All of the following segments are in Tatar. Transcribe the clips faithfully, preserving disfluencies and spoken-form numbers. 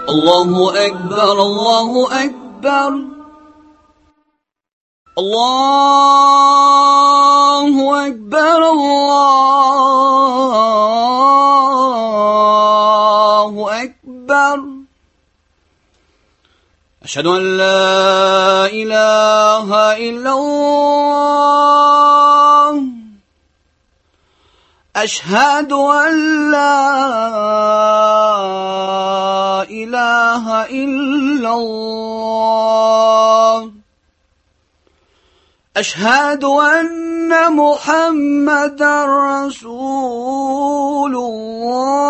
الله أكبر الله أكبر الله أكبر الله أكبر أشهد أن لا إله إلا الله أشهد أن لا إله إلا الله أشهد أن محمدا رسول الله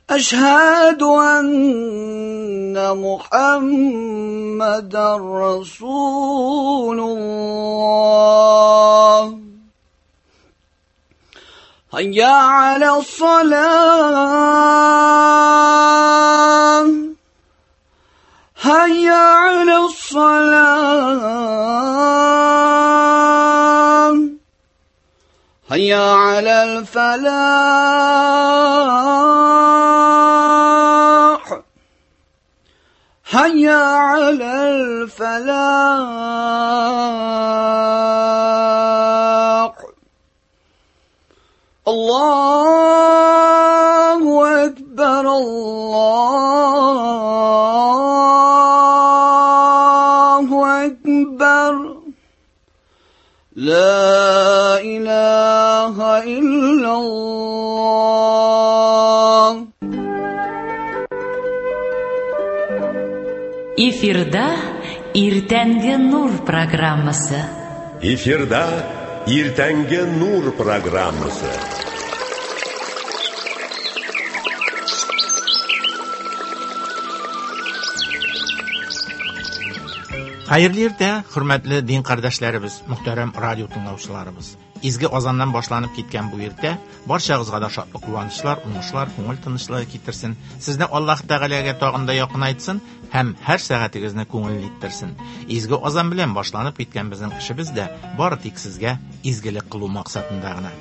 أشهد أن محمدا رسول الله هيا على الصلاة هيا على الصلاة هيا على الفلاح هيا على الفلاح الله أكبر الله أكبر لا إله إلا الله. Эфирда Иртәнге Нур программасы. Эфирда Иртәнге Нур программасы. Хәерле иртә, хөрмәтле дин кардәшләребез, мөхтәрәм радио тыңлаучыларыбыз. Изге азаннан башланып киткән бу иртә барчагызга да шатлык, куанычлар, уңышлар, күңел тынычлыгы китерсен. Сезне Аллаһ Тәгаләгә тагын да якынайтсын һәм һәр сәгатегезне күңелле иттерсен. Изге азан белән башланып киткән безнең эшебез дә бары тик сезгә изгелек кылу максатында гына.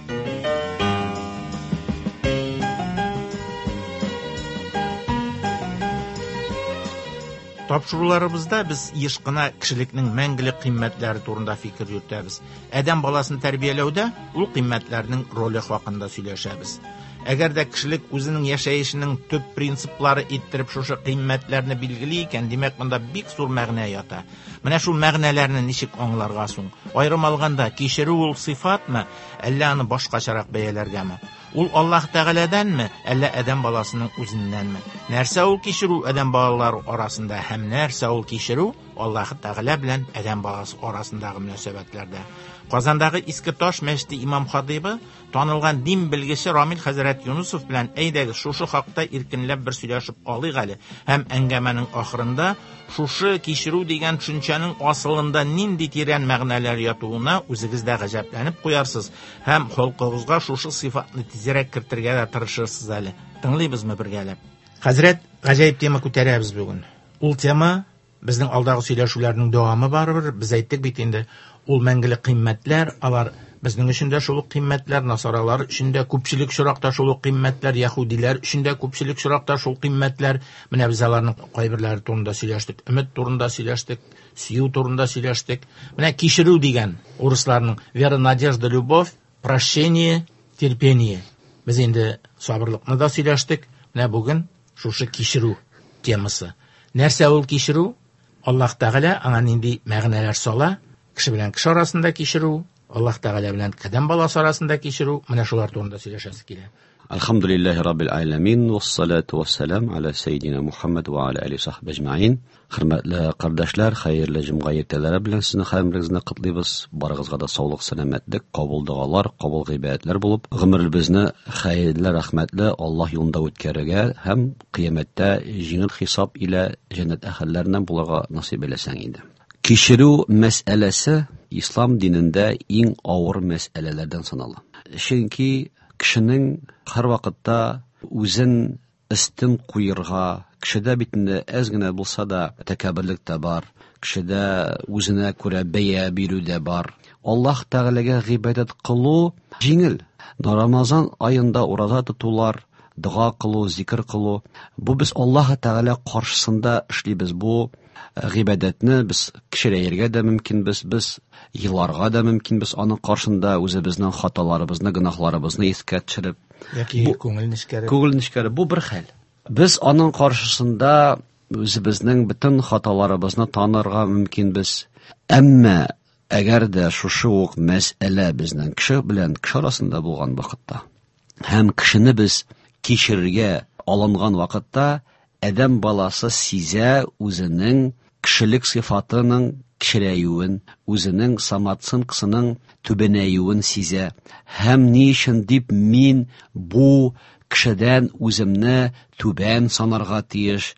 Тапшыруларыбызда без еш кына кешелекнең мәңгелек кыйммәтләре турында фикер йөртәбез. Адәм баласын тәрбияләүдә ул кыйммәтләрнең роле хакында сөйләшәбез. Әгәр дә кешелек үзенең яшәешенең төп принциплары иттереп шушы кыйммәтләрне билгели икән, димәк, монда бик зур мәгънә ята. Менә шул мәгънәләрне ничек аңларга соң? Аерым алганда, кичерү ул сыйфатмы, әллә аны башкачарак бәяләргәме? Ул Аллаһ Тәгаләдәнме, әллә адәм баласының үзеннәнме? Нәрсә ул кичерү адәм балалары арасында һәм нәрсә ул кичерү Аллаһ Тәгалә белән адәм баласы арасындагы мөнәсәбәтләрдә? Казандагы Иске Таш мәчете имам хатибы, танылган дин белгече Рамил хәзрәт Юнусов белән әйдәгез шушы хакта иркенләп бер сөйләшеп алыйк әле. Һәм әңгәмәнең ахырында шушы кичерү дигән төшенчәнең асылында нинди тирән мәгънәләр ятуына үзегез дә гаҗәпләнеп куярсыз һәм холкыгызга шушы сыйфатны тизрәк кертергә дә тырышырсыз әле. Тыңлыйбызмы бергәләп? Хәзрәт, гаҗәеп тема күтәрәбез бүген. Ул тема безнең алдагы сөйләшүләрнең дәвамы барыбер. Без әйттек бит инде, ул мәңгелек кыйммәтләр, алар безнең өчен дә шул ук кыйммәтләр, насаралар өчен дә күпчелек очракта шул ук кыйммәтләр, яһүдиләр өчен дә күпчелек очракта шул кыйммәтләр. Менә без аларның кайберләре турында сөйләштек, өмет турында сөйләштек, сөю турында сөйләштек. Менә кичерү дигән урысларның вера, надежда, любовь, прощение, терпение. Без инде сабырлыкны да сөйләштек. Менә бүген шушы кичерү темасы. Нәрсә ул кичерү? Аллаһ Тәгалә аңа нинди мәгънәләр сала? Кеше белән кеше арасында кичерү, Аллаһ Тәгалә белән адәм баласы арасында кичерү, менә шулар турында сөйләшәсе килә. Әлхәмдүлилләһи раббил аламин, вассалату вассалам аля саййидина Мухаммад ва аля алиһи сахби әҗмәин. Хөрмәтле кардәшләр, хәерле җомга иртәләре белән сезне хәерлегезне котлыйбыз. Барыгызга да саулык, сәламәтлек, кабул догалар, кабул гыйбадәтләр булып, гомеребезне хәерле, рәхмәтле Аллаһ юлында үткәрергә һәм кыямәттә җиңел хисап илә җәннәт әһелләреннән булырга насыйп әйләсәң иде. Кичерү мәсьәләсе ислам динендә иң авыр мәсьәләләрдән санала. Чөнки кешенең һәр вакытта үзен өстен куерга, кешедә бит инде әз генә булса да тәкәбберлек тә бар, кешедә үзенә күрә бәя бирү дә бар. Аллаһ Тәгаләгә гыйбадәт кылу җиңел. Рамазан аенда ураза тотулар, дога кылу, зикр кылу, бу без Аллаһ Тәгалә каршысында эшлибез. Бу гыйбадәтне без кечерәергә дә мөмкинбез, без еларга да мөмкинбез аның каршында үзебезнең хаталарыбызны, гөнаһларыбызны искә төшереп, яки күңел нечкәреп. Күңел нечкәреп, бу бер хәл. Без аның каршысында үзебезнең бөтен хаталарыбызны танырга мөмкинбез. Әмма әгәр дә шушы ук мәсьәлә безнең кеше белән кеше арасында булган вакытта һәм кешене без кичерергә алынган вакытта, адәм баласы сизә үзенең кешелек сыйфатының кечерәюен, үзенең самооценкасының түбәнәюен сизә. Һәм ни өчен дип мин бу кешедән үземне түбән санарга тиеш,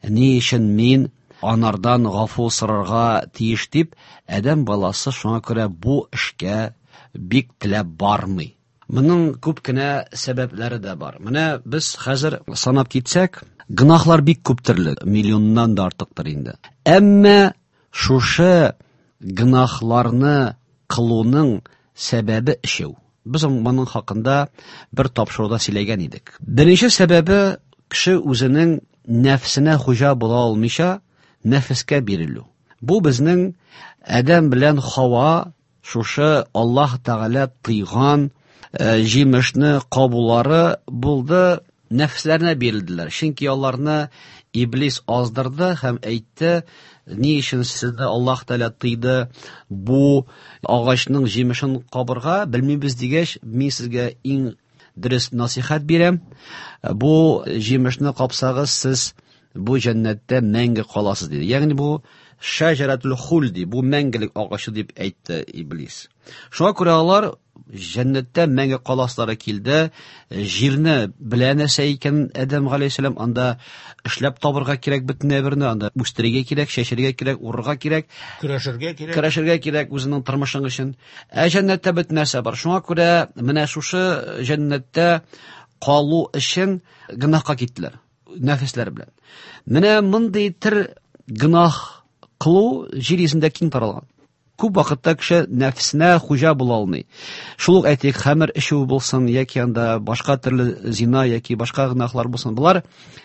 ни өчен мин анардан гафу сорарга тиеш дип, адәм баласы шуңа күрә бу эшкә бик теләп бармый. Моның күп кенә сәбәпләре дә бар. Менә без хәзер санап китсәк, гөнаһлар бик күп төрле, миллионнан да артыктыр инде. Әмма шушы гөнаһларны кылуның сәбәбе өчәү. Без моның хакында бер тапшыруда сөйләгән идек. Беренче сәбәбе кеше үзенең нәфсенә хуҗа була алмыйча нәфескә бирелү. Бу безнең Адәм белән Хава шушы Аллаһ Тәгалә тыйган җимешне кабулары булды, нәфсләренә бирелделәр. Чөнки аларны Иблис аздырды һәм әйтте: ни өчен сезне Аллаһ Тәгалә тыйды бу агачның җимешен кабырга, белмибез дигәч, мин сезгә иң дөрес насихат бирәм. Бу җимешне капсагыз, сез бу җәннәттә мәңге каласыз диде. Ягъни бу шәҗәрәтул хулди, бу мәңгелек агачы дип әйтте Иблис. Шуңа күрә алар җәннәттә мәңге каласылары килде. Җирне белә нәрсә икән Адәм галәйһиссәлам, анда эшләп табырга кирәк бөтен әйберне, анда үстерергә кирәк, чәчәргә кирәк, урырга кирәк, көрәшергә кирәк. Көрәшергә кирәк үзенең тормышың өчен. Ә җәннәттә бөтен нәрсә бар. Шуңа күрә менә шушы җәннәттә калу өчен гөнаһка киттеләр нәфесләр белән. Менә мондый төр гөнаһ кылу җир йөзендә киң таралган. Күп вакытта кеше нәфсенә хуҗа була алмый. Шул ук әйтик, хәмер эчү булсын, яки анда башка төрле зина яки башка гөнаһлар булсын, болар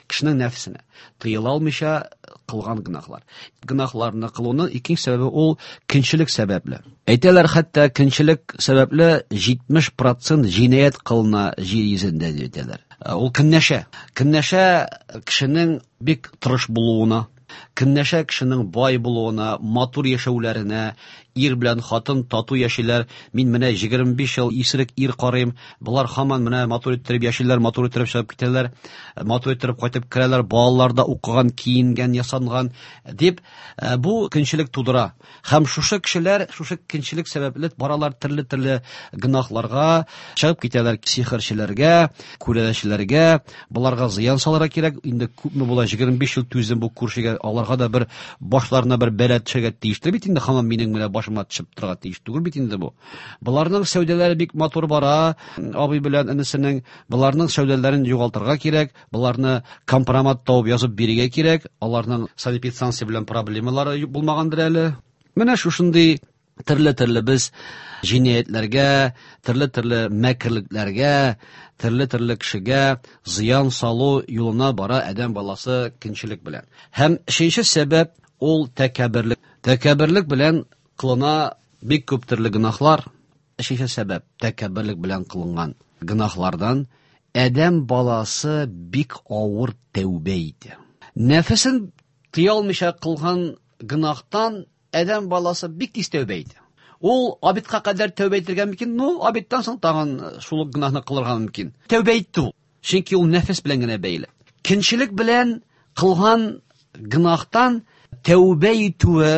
кешенең нәфсенә тыела алмыйча кылган гөнаһлар. Гөнаһларны кылуның икенче сәбәбе ул көнчелек сәбәпле. Әйтәләр, хәтта көнчелек сәбәпле җитмеш процент җинаять кылына җир йөзендә дип әйтәләр. Ул көнләшә. Көнләшә кешенең бик тырыш булуына, көнләшә кешенең бай булуына, матур яшәүләренә, ир белән хатын тату яшиләр. Мин менә егерме биш ел исерек ир карыйм, болар һаман менә матур иттереп яшиләр, матур иттереп чыгып китәләр, матур иттереп кайтып керәләр, балалар да укыган, киенгән, ясанган дип, бу көнчелек тудыра. Һәм шушы кешеләр, шушы көнчелек сәбәпле баралар төрле-төрле гөнаһларга, чыгып китәләр сихерчеләргә, күрәләчеләргә, боларга зыян салырга кирәк. Инде күпме була, егерме биш ел түздем бу күршегә, аларга да бер башларына бер бәла төшергә тиештер бит инде, һаман минем менә башыма төшеп торырга тиеш түгел бит инде бу. Боларның сәүдәләре бик матур бара, абый белән энесенең, боларның сәүдәләрен югалтырга кирәк, боларны компромат табып язып бирергә кирәк, аларның санэпидстанция белән проблемалары булмагандыр әле. Менә шушындый төрле-төрле без җинаятьләргә, төрле-төрле мәкерлекләргә, төрле-төрле кешегә зыян салу юлына бара адәм баласы көнчелек белән. Һәм өченче сәбәп ул тәкәбберлек. Тәкәбберлек белән кылына бик күп төрле гөнаһлар. Өченче сәбәп тәкәбберлек белән кылынган гөнаһлардан адәм баласы бик авыр тәүбә итә. Нәфесен тыя алмыйча кылган гөнаһтан адәм баласы бик тиз тәүбә итә. Ул абидка кадәр тәүбә итергә мөмкин, но абидтан соң тагын шул ук гөнаһны кылырга мөмкин. Тәүбә итте ул. Чөнки ул нәфес белән генә бәйле. Көнчелек белән кылган гөнаһтан тәүбә итүе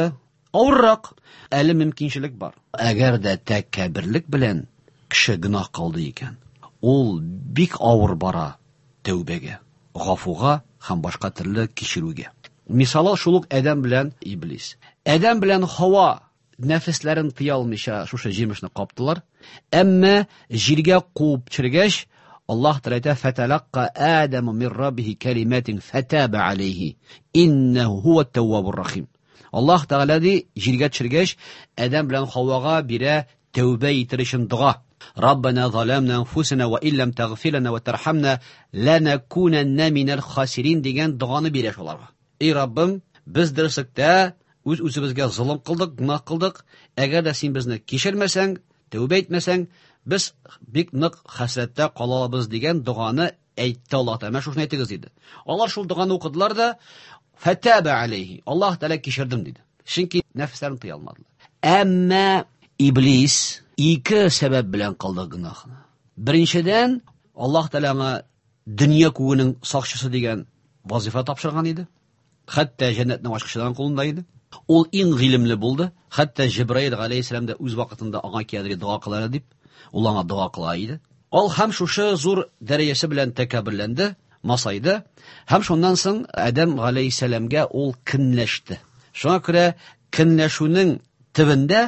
авыррак, әле мөмкинчелек бар. Әгәр дә тәкәбберлек белән кеше гөнаһ кылды икән, ул бик авыр бара тәүбәгә, гафуга һәм башка төрле кичерүгә. Мисалы шул ук Адәм белән Иблис. Адәм белән Хава нәфесләрен тыя алмыйча шушы җимешне каптылар. Әмма җиргә куып төшергәч, Аллаһ Тәгалә әйтә: "Фаталаққа Адаму мин раббихи калиматин фатаба алейхи, иннәһу һуат таввабур рахим." Аллаһ Тәгалә ди, җиргә төшергәч, Адәм белән Хавага бирә тәүбә итер өчен дога. Раббана заламна анфусана ва иллам тагфир лана ва тархамна ланакунанна минал хасирин дигән доганы бирә шуларга. Эй Раббым, без дөреслектә үз үзебезгә золым кылдык, гөнаһ кылдык. Әгәр дә син безне кичермәсәң, тәүбә итмәсәң, без бик нык хәсрәттә калабыз дигән доганы әйтте Аллаһ Тәгалә. Менә шушыны әйтегез диде. Алар шул доганы укыдылар да, фатаба алейхи. Аллаһ Тәгалә кичердем диде. Чөнки нәфесләрен тыя алмадылар. Әмма Иблис ике сәбәп белән кылды гөнаһны. Беренчедән, Аллаһ Тәгалә аңа дөнья күгенең сакчысы дигән вазифа тапшырган иде. Хәтта җәннәтнең ачкычларын кулында иде. Ул иң гыйлемле булды. Хәтта Җибраил галәйһиссәлам да үз вакытында аңа киядер дога кылар дип, ул аңа дога кыла иде. Ул һәм шушы зур дәрәҗәсе белән тәкәбберләнде, масайды. Һәм шуннан соң Адәм галәйһиссәламгә ул көнләште. Шуңа күрә көнләшүнең төбендә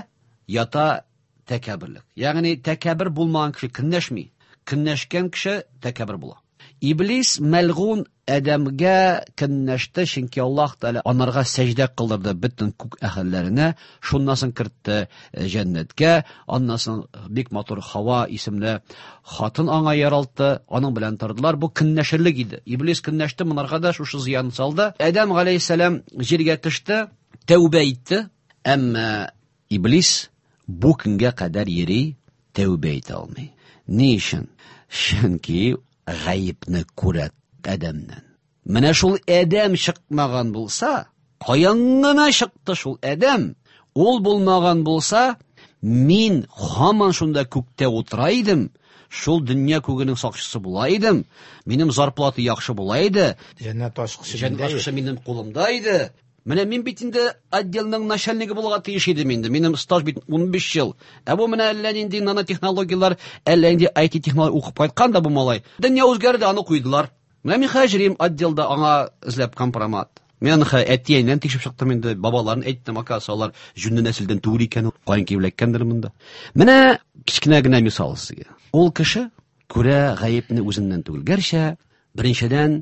ята тәкәбберлек. Ягъни тәкәббер булмаган кеше көнләшми. Көнләшкән кеше тәкәббер була. Иблис мәлгун Адәмгә көнләште, чөнки Аллаһ Тәгалә анарга сәҗдә кылдырды бөтен күк әһелләренә, шуннан соң кертте җәннәткә, аннан соң бик матур Хава исемле хатын аңа яралтты, аның белән тордылар. Бу көнләшерлек иде. Иблис көнләште, монарга да шушы зыян салды. Адәм галәйһиссәлам җиргә төште, тәүбә итте, әмма Иблис бу көнгә кадәр йөри, тәүбә итә алмый. Ни өчен? Чөнки гаепне күрә Адәмнән. Менә шул Адәм чыкмаган булса, каян гына чыкты шул Адәм? Ул булмаган булса, мин һаман шунда күктә утыра идем, шул дөнья күгенең сакчысы була идем, минем зарплата яхшы була иде, Җәннәт ачкычы җәннәт ачкычы минем кулымда иде. Менә мин бит инде отделның начальнигы булырга тиеш идем инде. Минем стаж бит ун биш ел. Ә бу менә әллә нинди нанотехнологияләр, әллә нинди ай ти технология укып кайткан да бу малай. Дөнья үзгәрде, аны куйдылар. Менә мин хәзер йөрим отделда аңа эзләп компромат. Мин аны хә-, әтиәннән тикшереп чыктым инде, бабаларын әйттем, оказывается, алар җүнле нәселдән түгел икән, каян килеп эләккәндер монда. Менә кечкенә генә мисал сезгә. Ул кеше күрә гаепне үзеннән түгел. Гәрчә беренчедән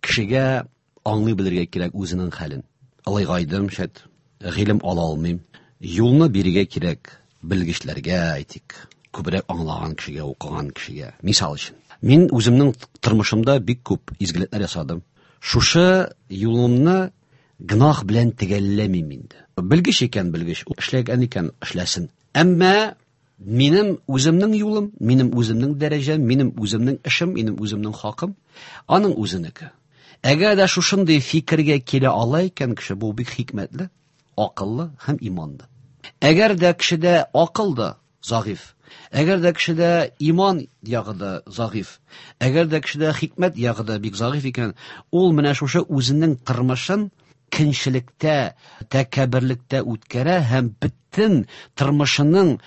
кешегә аңлый белергә кирәк үзенең хәлен. Алайгайдым, шәт, гыйлем ала алмыйм. Юлны бирергә кирәк белгечләргә, әйтик, күбрәк аңлаган кешегә, укыган кешегә. Мисал өчен, мин үземнең тормышымда бик күп изгелекләр ясадым. Шушы юлымны гөнаһ белән төгәлләмим инде. Белгеч икән белгеч, эшләгән икән эшләсен. Әмма минем үземнең юлым, минем үземнең дәрәҗәм, минем үземнең эшем, минем үземнең хакым, аның үзенеке. Әгәр дә шушындый фикергә килә ала икән кеше, бу бик хикмәтле, акыллы һәм иманлы. Әгәр дә кешедә акыл да зәгыйфь, әгәр дә кешедә иман ягы да зәгыйфь, әгәр дә кешедә хикмәт ягы да бик зәгыйфь икән, ул менә шушы үзенең тормышын көнчелектә, тәкәбберлектә үткәрә һәм бөтен тормышының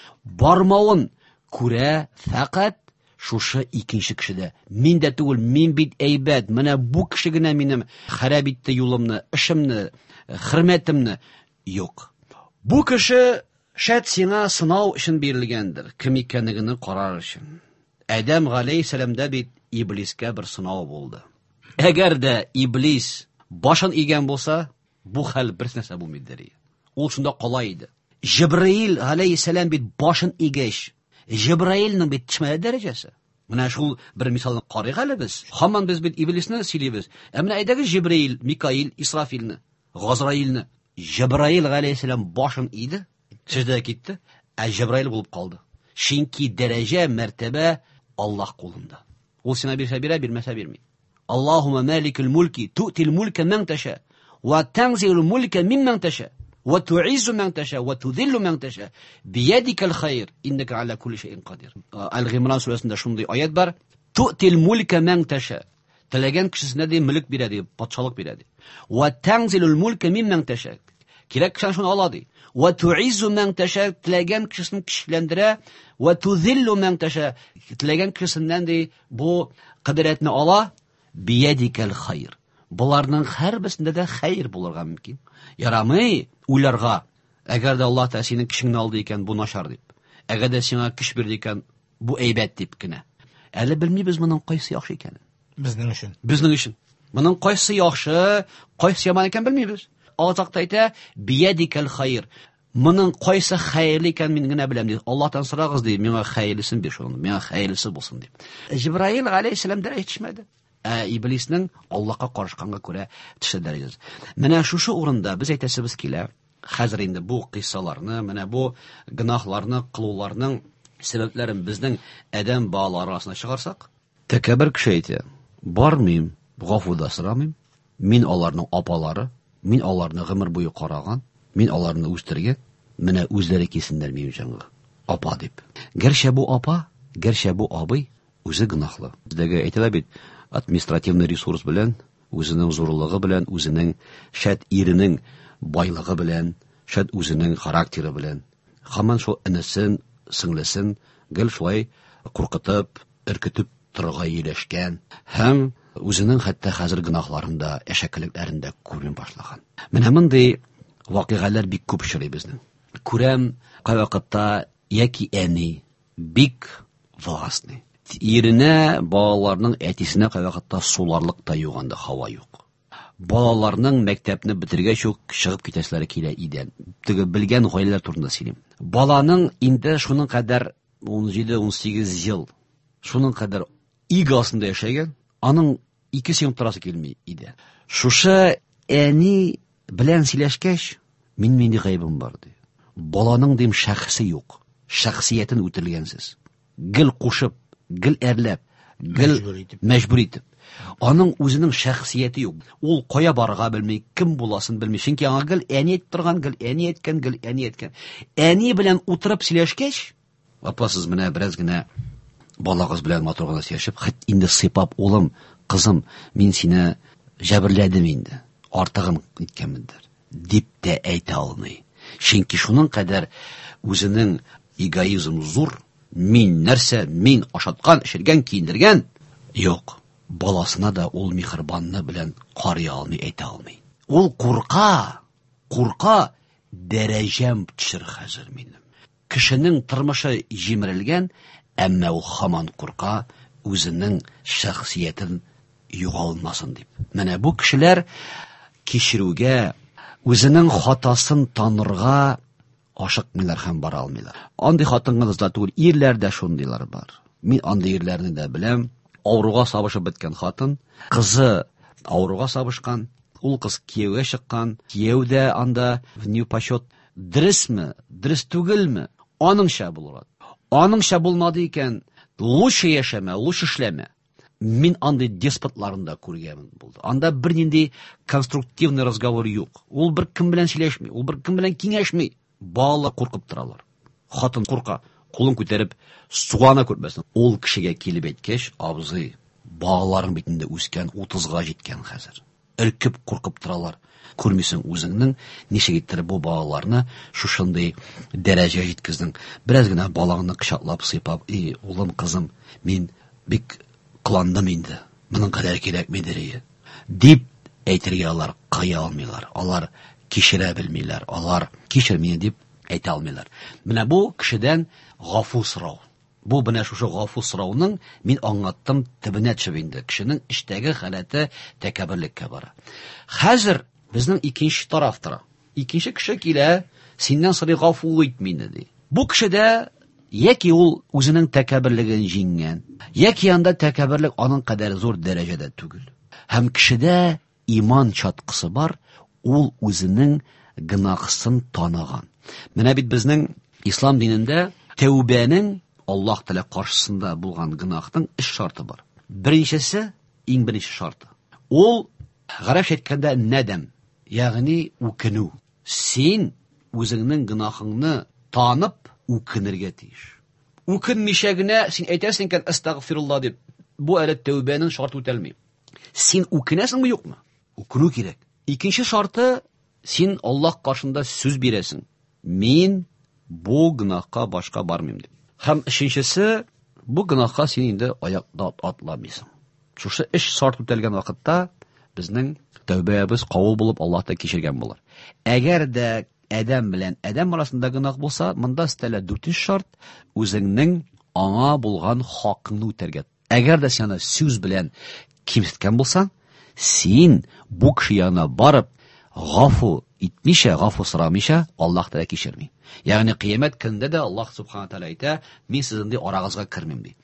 бармавын күрә фәкать шушы икенче кешедә. Мин дә түгел, мин бит әйбәт, менә бу кеше генә минем харап итте юлымны, эшемне, хөрмәтемне. Юк. Бу кеше шәт сиңа сынау өчен бирелгәндер, кем икәнлегеңне карар өчен. Адәм галәйһиссәламдә бит иблискә бер сынау булды. Әгәр дә иблис башын игән булса, бу хәл бер нәрсә булмый иде. Ул шунда кала иде. Җибраил галәйһиссәлам бит башын игәч, Җибраилнең бит төшмәде дәрәҗәсе. Менә шул бер мисалны карыйк әле без. Һаман без бит иблисне сөйлибез. Ә менә әйдәгез Җибраил, Микаил, Исрафилне, Газраилне. Җибраил галәйһиссәлам башын иде, сәҗдәгә китте, ә Җибраил булып калды. Чөнки дәрәҗә, мәртәбә Аллаһ кулында. Ул сиңа бирсә бирә, бирмәсә бирми. Аллаһумма маликул мулки ту'тил мулка ман таша ва танзилул мулка мимман таша ва ту'иззу ман таша ва тузиллу ман таша биядикал хайр иннака аля кулли шәйин кадир. Аль-Гимран сүрәсендә шундый аят бар. Ту'тил мулка ман таша. Теләгән кешесенә ди мөлек бирә ди, патшалык бирә ди. Ва танзилул мулка мимман таша. Кирәк кешене шуны ала ди. Ва ту'иззу ман таша. Теләгән кешесен көчләндерә. Ва тузиллу ман таша. Теләгән кешесеннән ди бу кыдратны ала. Биядикал хайр. Буларның һәрберсендә дә хәер булырга мөмкин. Ярамый уйларга. Әгәр дә Аллаһ Тәгалә синең көчеңне алды икән, бу начар дип. Әгәр дә сиңа көч бирде икән, бу әйбәт дип кенә. Әле белмибез моның кайсы яхшы икәнен. Безнең өчен. Безнең өчен. Моның кайсы яхшы, кайсы яман икән белмибез. Аллаһ Тәгалә әйтә, биядикал хайр. Моның кайсы хәерле икән мин генә беләм ди. Аллаһтан сорагыз ди, миңа хәерлесен бир шуны, миңа хәерлесе булсын дип. Җибраил галәйһиссәлам дәрәҗә төшмәде. Ә иблиснең Аллаһка карышканга күрә төште дәрәҗәсе. Менә шушы урында без әйтәсебез килә. Хәзер инде бу кыйссаларны, менә бу гөнаһларны кылуларның сәбәпләрен безнең адәм балалары арасына чыгарсак, тәкәббер кеше әйтә: бармыйм, гафу да сорамыйм. Мин аларның апалары, мин аларны гомер буе караган, мин аларны үстергән, менә үзләре килсеннәр минем җанга, апа дип. Гәрчә бу апа, гәрчә бу абый үзе гөнаһлы. Бездәге әйтелә бит, административный ресурс белән, үзенең зурлыгы белән, үзенең шәт иренең байлыгы белән, шәт үзенең характеры белән. Һаман шул энесен, сеңлесен гел шулай куркытып, өркетеп торырга ияләшкән һәм үзенең хәтта хәзер гөнаһларын да, әшәкелекләрен дә күрми башлаган. Менә мондый вакыйгалар бик күп очрый безнең. Күрәм, кайвакытта яки әни бик властный. Иренә, балаларның әтисенә кайвакытта суларлык та юк анда, һава юк. Балаларның мәктәпне бетергәч үк чыгып китәселәре килә идән. Теге белгән гаиләләр турында сөйлим. Баланың инде шуның кадәр ун җиде, ун сигез ел шуның кадәр иго астында яшәгән, аның ике секунд торасы килми иде. Шушы әни белән сөйләшкәч, мин нинди гаебем бар ди. Баланың дим шәхесе юк, шәхсиятен үтелгәнсез. Гел кушып, гел әрләп, гел Мәҗбүр итеп. мәҗбүр итеп. Аның үзенең шәхсияте юк. Ул кая барырга белми, кем буласын белми. Чөнки аңа гел әни әйтеп торган, гел әни әйткән, гел әни әйткән. Әни белән утырып сөйләшкәч, апа, сез менә бераз генә балагыз белән матур гына сөйләшеп, хәт инде сыйпап, улым, кызым, мин сине җәберләдем инде, артыгын иткәнмендер, дип тә әйтә алмый. Чөнки шуның кадәр үзенең эгоизм зур, мин нәрсә, мин ашаткан, эчергән, киендергән, юк. Баласына да ул миһербанны белән карый алмый, әйтә алмый. Ул курка, курка, дәрәҗәм төшер хәзер минем. Кешенең тормышы җимерелгән, әмма ул һаман курка үзенең шәхсиятен югалмасын дип. Менә бу кешеләр кичерүгә, үзенең хатасын танырга ашыкмыйлар һәм бара алмыйлар. Андый хатын-кызлар түгел, ирләр дә шундыйлар бар. Мин андый ирләрне дә беләм. Авыруга сабышып беткән хатын, кызы авыруга сабышкан, ул кыз кияүгә чыккан, кияү дә анда в непочет. Дөресме, дөрес түгелме? Аныңча булыр. Аныңча булмады икән, лучше яшәмә, лучше эшләмә. Мин андый деспотларын да күргәнмен булды. Анда бернинди конструктивный разговор юк. Ул бер кем белән сөйләшми, ул бер кем белән киңәшми. Бала куркып торалар. Хатын курка, кулын күтәреп сугана күрмәсен. Ул кешегә килеп әйткәч, абзый, балаларың бит инде үскән, утызга җиткән хәзер. Өркеп куркып торалар. Күрмисең үзеңнең ничек иттереп бу балаларны шушындый дәрәҗәгә җиткездең. Бераз генә балаңны кочаклап, сыйпап, эй, улым, кызым, мин бик кыландым инде. Моның кадәр кирәкмидер ие. Дип әйтергә алар кыя алмыйлар. Алар кичерә белмиләр. Алар кичер мине дип әйтә алмыйлар. Менә бу кешедән гафу сорау. Бу менә шушы гафу сорауның мин аңлаттым төбенә төшеп инде. Кешенең эчтәге халәте тәкәбберлеккә бара. Хәзер безнең икенче тараф тора. Икенче кеше килә, синнән сорый гафу ит мине ди. Бу кешедә яки ул үзенең тәкәбберлеген җиңгән, яки анда тәкәбберлек аның кадәр зур дәрәҗәдә түгел. Һәм кешедә иман чаткысы бар, ул үзенең гөнаһсын таныган. Менә бит безнең ислам динендә тәүбәнең Аллаһ Тәгалә каршысында булган гөнаһның өч шарты бар. Беренчесе, иң беренче шарты. Ул гарәпчә әйткәндә нәдәм, ягъни үкенү. Син үзеңнең гөнаһыңны танып үкенергә тиеш. Үкенмичә генә син әйтәсең икән астагфирулла дип, бу әле тәүбәнең шарты үтәлми. Син үкенәсеңме, юкмы? Үкенү кирәк. Икенче шарты, син Аллаһ каршында сүз бирәсең. Мин бу гөнаһка башка бармыйм дип. Һәм өченчесе, бу гөнаһка син инде аякта атламыйсың. Шушы өч шарт үтәлгән вакытта безнең тәүбәбез кабул булып Аллаһ та кичергән булыр. Әгәр дә адәм белән адәм арасында гөнаһ булса, монда өстәлә дүртенче шарт, үзеңнең аңа булган хакыңны үтәргә. Әгәр дә син аны сүз белән кимсеткән булсаң, син бу кеше янына барып гафу итмичә, гафу сорамыйча, Аллаһ Тәгалә кичерми. Ягъни кыямәт көнендә дә Аллаһ субхана тәгалә әйтә, мин сезнең ди арагызга кермим ди.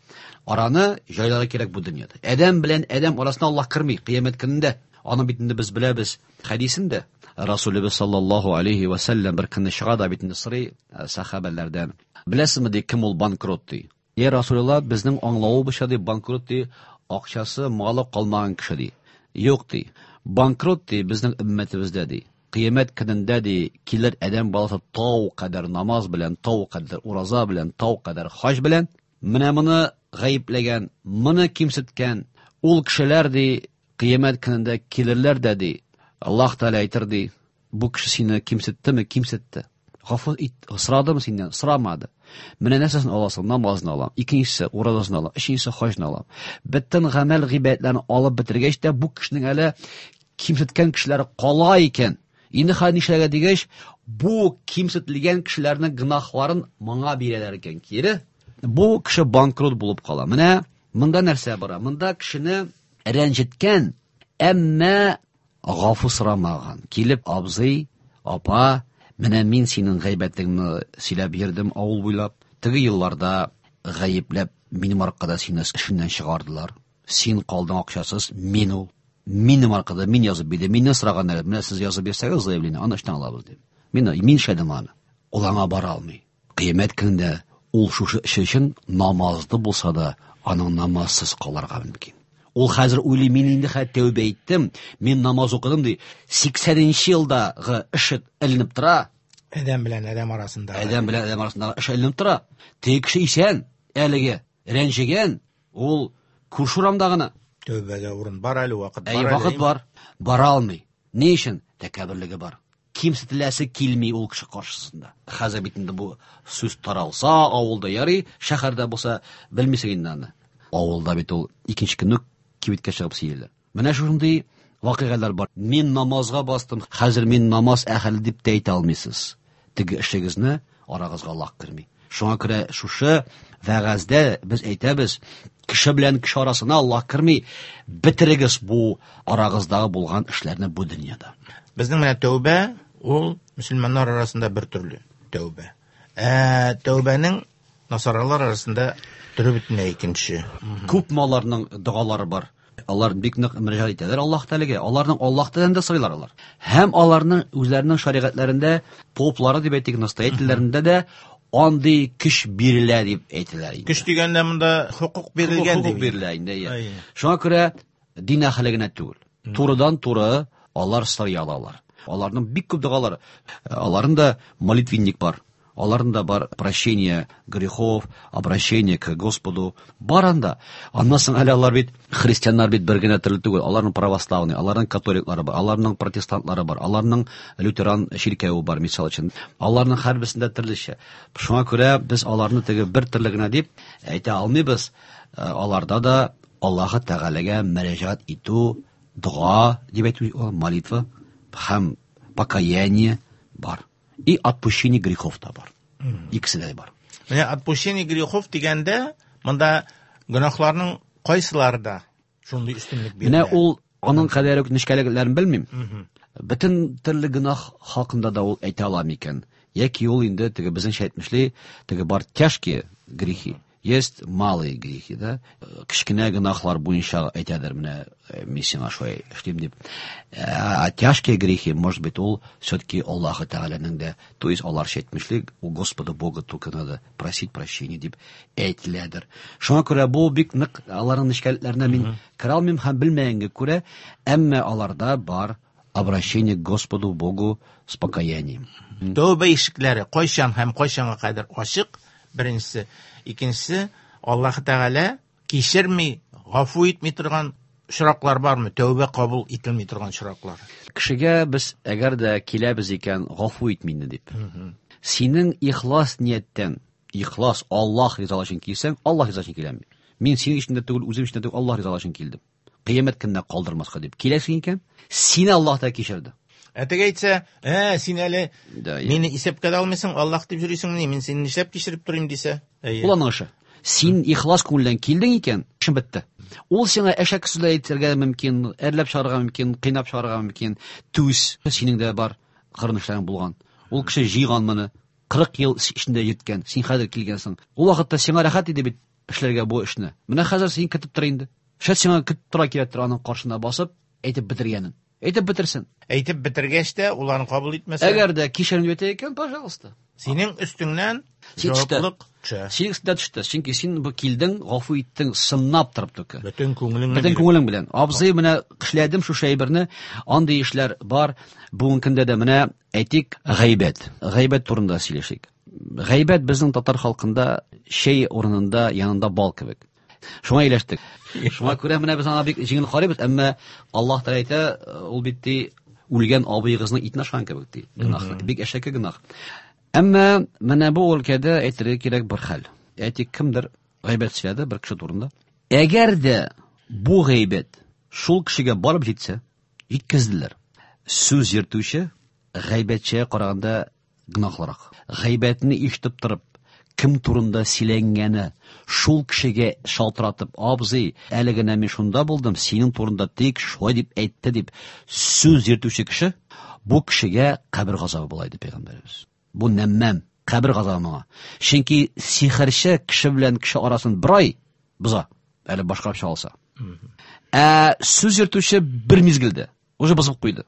Араны җайларга кирәк бу дөньяда. Адәм белән адәм арасына Аллаһ керми кыямәт көнендә. Аны бит инде без беләбез хәдисендә. Расулыбыз саллаллаһу алейхи ва саллям бер көнне чыга да бит инде сорый сахабәләрдән. Беләсезме ди, кем ул банкрот ди? Е Расулулла, безнең аңлавыбызча ди, банкрот ди, акчасы, малы калмаган кеше ди. Юк ди. Банкрот ди безнең өммәтебездә ди. Кыямәт көнендә ди килер адәм баласы тау кадәр намаз белән, тау кадәр ураза белән, тау кадәр хаҗ белән. Менә моны гаепләгән, моны кимсеткән ул кешеләр ди кыямәт көнендә килерләр дә ди. Аллаһ Тәгалә әйтер ди, бу кеше сине кимсеттеме? Кимсетте. Гафу ит, сорадымы синнән? Сорамады. Менә нәрсәсен аласың? Намазны алам. Икенчесе уразасын алам. Өченчесе хаҗны алам. Бөтен гамәл гыйбадәтләрне алып бетергәч тә бу кешенең әле кимсеткән кешеләре кала икән. Инде хәзер нишләргә дигәч, бу кимсетелгән кешеләрнең гөнаһларын моңа бирәләр икән. Кире бу кеше банкрот булып кала. Менә монда нәрсә бара? Монда кешене рәнҗеткән, әмма гафу сорамаган. Килеп абзый, апа, менә мин синең гайбәтеңне сөйләп йөрдем авыл буйлап. Теге елларда гаепләп минем аркада сине эшеннән чыгардылар. Син калдың акчасыз, мин ул. Минем аркада мин язып бирдем. Миннән сораганнар, менә сез язып бирсәгез заявление, аны эштән алабыз дип. Мин мин эшләдем аны. Ул аңа бара алмый. Кыямәт көнендә ул шушы эше өчен намазлы булса да, аның намазсыз калырга мөмкин. Ул хәзер уйлый, мин инде хәзер тәүбә иттем, мин намаз укыдым ди. Сиксәненче елдагы эше эленеп тора. Адәм белән адәм арасында. Адәм белән адәм арасындагы эш эленеп тора. Теге кеше исән, әлеге рәнҗегән, ул күрше урамда гына. Тәүбәгә урын бар әле, вакыт бар. Әй, вакыт бар. Бара алмый. Ни өчен? Тәкәбберлеге бар. Кимсетеләсе килми ул кеше каршысында. Хәзер бит инде бу сүз таралса, авылда ярый, шәһәрдә булса, белмисең инде аны. Авылда бит ул икенче көнне кибеткә чыгып сөйлиләр. Менә шундый вакыйгалар бар. Мин намазга бастым, хәзер мин намаз әһеле дип тә әйтә алмыйсыз. Теге эшегезне арагызга Аллаһ керми. Шуңа күрә шушы вәгазьдә без әйтәбез, кеше белән кеше арасына Аллаһ керми, бетерегез бу арагыздагы булган эшләрне бу дөньяда. Безнең менә тәүбә ул мөселманнар арасында бер төрле тәүбә. Ә тәүбәнең насаралар арасында төре бөтенләй икенче. Күп аларның догалары бар. Алар бик нык мөрәҗәгать итәләр Аллаһ Тәгаләгә. Аларның Аллаһ Тәгаләдән дә сорыйлар алар. Һәм аларның үзләренең шәригатьләрендә, поплары дип әйтик, настоятельләрендә дә андый көч бирелә дип әйтәләр инде. Көч дигәндә монда хукук бирелгән дип. Хукук бирелә инде. Шуңа күрә дин әһеле генә түгел. Турыдан-туры алар сорый алалар. Аларның бик күп догалары. Аларның да молитвенник бар. Аларның да бар прощение грехов, обращение к Господу. Бар анда. Аннан соң әле алар бит христианнар бит бер генә төрле түгел. Аларның православный, аларның католиклары бар, аларның протестантлары бар, аларның лютеран чиркәве бар, мисал өчен. Аларның һәрберсендә төрлечә. Шуңа күрә без аларны теге бер төрле генә дип әйтә алмыйбыз. Аларда да Аллаһы Тәгаләгә мөрәҗәгать итү, дога дип әйтү, молитва һәм покаяние бар. И отпущение грехов та бар. Икесе дә бар. Менә отпущение грехов дигәндә, монда гөнаһларның кайсылары да шундый өстенлек бирелә? Менә ул аның кадәр үк нечкәлекләрен белмим. Бөтен төрле гөнаһ хакында да ул әйтә ала микән? Яки ул инде теге безнеңчә әйтмешли, теге бар тяжкие грехи, есть малые грехи, да? Кечкенә гөнаһлар буенча әйтәдер, менә мин сиңа шулай эшлим дип. А тяжкие грехи, может быть, ул все-таки Аллаһы Тәгаләнең дә, то есть аларча әйтмешли, у Господа Бога только надо просить прощения дип әйтеләдер. Шуңа күрә бу бик нык аларның нечкәлекләренә мин керә алмыйм һәм белмәгәнгә күрә, әмма аларда бар обращение к Господу Богу с покаянием. Тәүбә ишекләре кайчан һәм кайчанга кадәр ачык? Беренчесе. Икенчесе, Аллаһ Тәгалә кичерми, гафу итми торган очраклар бармы? Тәүбә кабул ителми торган очраклар. Кешегә без әгәр дә киләбез икән, гафу ит мине дип. Синең ихлас нияттән, ихлас Аллаһ ризалыгы өчен килсәң, Аллаһ ризалыгы өчен киләм. Мин синең өчен дә түгел, үзем өчен дә түгел, Аллаһ ризалыгы өчен килдем. Кыямәт көненә калдырмаска дип киләсең икән, сине Аллаһ та кичерде. Ә теге әйтсә, ә, син әле мине исәпкә дә алмыйсың, Аллаһ дип йөрисең, мин сине нишләп кичереп торыйм дисә. Ул аның эше. Син ихлас күңелдән килдең икән, эшең бетте. Ул сиңа әшәке сүзләр әйтергә мөмкин, әрләп чыгарга мөмкин, кыйнап чыгарга мөмкин. Түз, синең дә бар. кырынышларың булган. Ул кеше җыйган моны, кырык ел эчендә җиткән, син хәзер килгәнсең. Ул вакытта сиңа рәхәт иде бит эшләргә бу эшне. Менә хәзер син көтеп тор инде. Шәт сиңа көтеп тора кирәктер аның каршына басып, әйтеп бетергәнен. Әйтеп бетерсен. Әйтеп бетергәч тә ул аны кабул итмәсә. Әгәр дә кичерим дип әйтә икән, пожалуйста. Синең өстеңнән Син төште. җаваплылык төшә. Синең өстеңдә төште. Чөнки син бу килдең, гафу иттең, сыннап торып түке. Бөтен күңелең Бөтен күңелең белән. Абзый, менә эшләдем шушы әйберне, андый эшләр бар. Бүгенге көндә дә менә әйтик, гайбәт. Гайбәт турында сөйләшик. Гайбәт безнең татар халкында чәй урынында янында бал кебек. Шуңа ияләштек. Шуңа күрә менә без аңа бик җиңел карыйбыз, әмма Аллаһ Тәгалә әйтә, ул бит ди, үлгән абыегызның итен ашкан кебек ди. Гөнаһ, бик әшәке гөнаһ. Әмма менә бу өлкәдә әйтергә кирәк бер хәл. Әйтик, кемдер гайбәт сөйләде бер кеше турында. Әгәр дә бу гайбәт шул кешегә барып җитсә, җиткезделәр. Сүз йөртүче гайбәтчегә караганда гөнаһлырак. Гайбәтне ишетеп торып, кем турында сөйләнгәне шул кешегә шалтыратып, абзый, әле генә мин шунда булдым, синең турында тик шулай дип әйтте дип сүз йөртүче кеше, бу кешегә кабер газабы була диде пәйгамбәребез. Бу нәммәм, кабер газабы моңа. Чөнки сихерче кеше белән кеше арасын бер ай боза, әле башкарып чыга алса. Ә сүз йөртүче бер мизгелдә уже бозып куйды.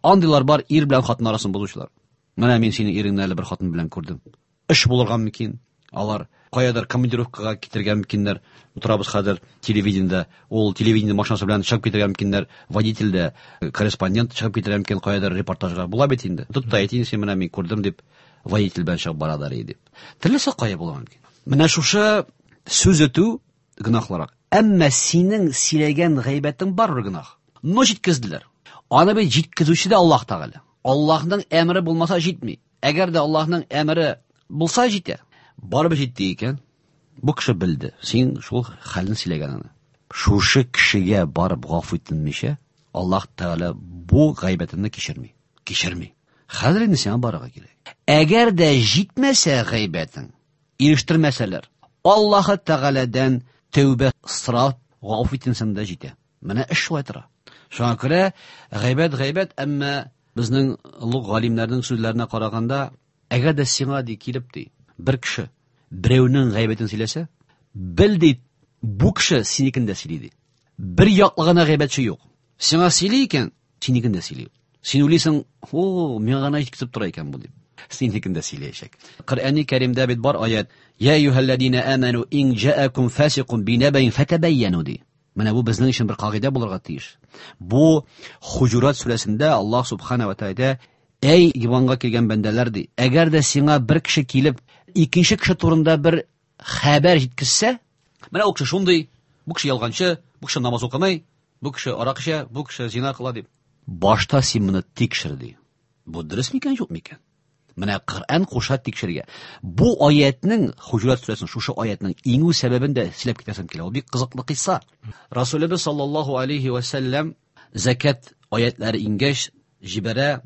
Андыйлар бар, ир белән хатын арасын бозучылар. Менә мин синең иреңне әле бер хатын белән күрдем. Эш булырга мөмкин. Алар каядыр командировкага китергә мөмкиннәр. Утырабыз хәзер телевидениедә, ул телевидение машинасы белән чыгып китергә мөмкиннәр. Водитель дә, корреспондент чыгып китергә мөмкин каядыр репортажга. Була бит инде. Тот та әйтин, син менә мин күрдем дип водитель белән чыгып баралар иде дип. Теләсә кая була мөмкин. Менә шушы сүз өтү гөнаһлырак. Әмма синең сөйләгән гайбәтең барыбер гөнаһ. Но җиткезделәр. Аны бит җиткезүче дә Аллаһ Тәгалә. Аллаһның әмере булмаса җитми. Әгәр дә Аллаһның әмере булса җитә. Барыбер җитте икән, бу кеше белде. Син шул хәлне сөйләгәнеңне. Шушы кешегә барып гафу итмичә, Аллаһ Тәгалә бу гайбәтеңне кичерми. Кичерми. Хәзер инде сиңа барырга кирәк. Әгәр дә җитмәсә гайбәтең, ирештермәсәләр, Аллаһ Тәгаләдән тәүбә сорап гафу итсәң дә җитә. Менә эш шулай тора. Шуңа күрә гайбәт гайбәт, әмма безнең олуг галимнәрнең сүзләренә караганда, әгәр дә сиңа ди килеп ди, бер кеше берәүнең гайбәтен сөйләсә, бел ди, бу кеше синекен дә сөйли ди. Бер яклы гына гайбәтче юк. Сиңа сөйли икән, синекен дә сөйли. Син уйлыйсың, о, миңа гына җиткезеп тора икән бу дип. Синекен дә сөйләячәк. Коръәни Кәримдә бит бар аят: Я әйюһәлләзина аману ин җаакум фасикун бинабаин фатабайяну ди. Менә бу безнең өчен бер кагыйдә булырга тиеш. Бу Хуҗурат сүрәсендә Аллаһ субхана ва тааля: Әй иманга килгән бәндәләр ди, әгәр дә сиңа бер кеше килеп, икенче кеше турында бер хәбәр җиткезсә, менә ул кеше шундый, бу кеше ялганчы, бу кеше намаз укымый, бу кеше арак эчә, бу кеше зина кыла дип. Башта син моны тикшер ди. Бу дөрес микән, юк микән? Менә Коръән куша тикшергә. Бу аятның, Хуҗурат сүрәсенең шушы аятның иңү сәбәбен дә сөйләп китәсем килә. Ул бик кызыклы кыйсса. Расулыбыз саллаллаһу алейхи ва сәлләм закат аятлары иңгәч җибәрә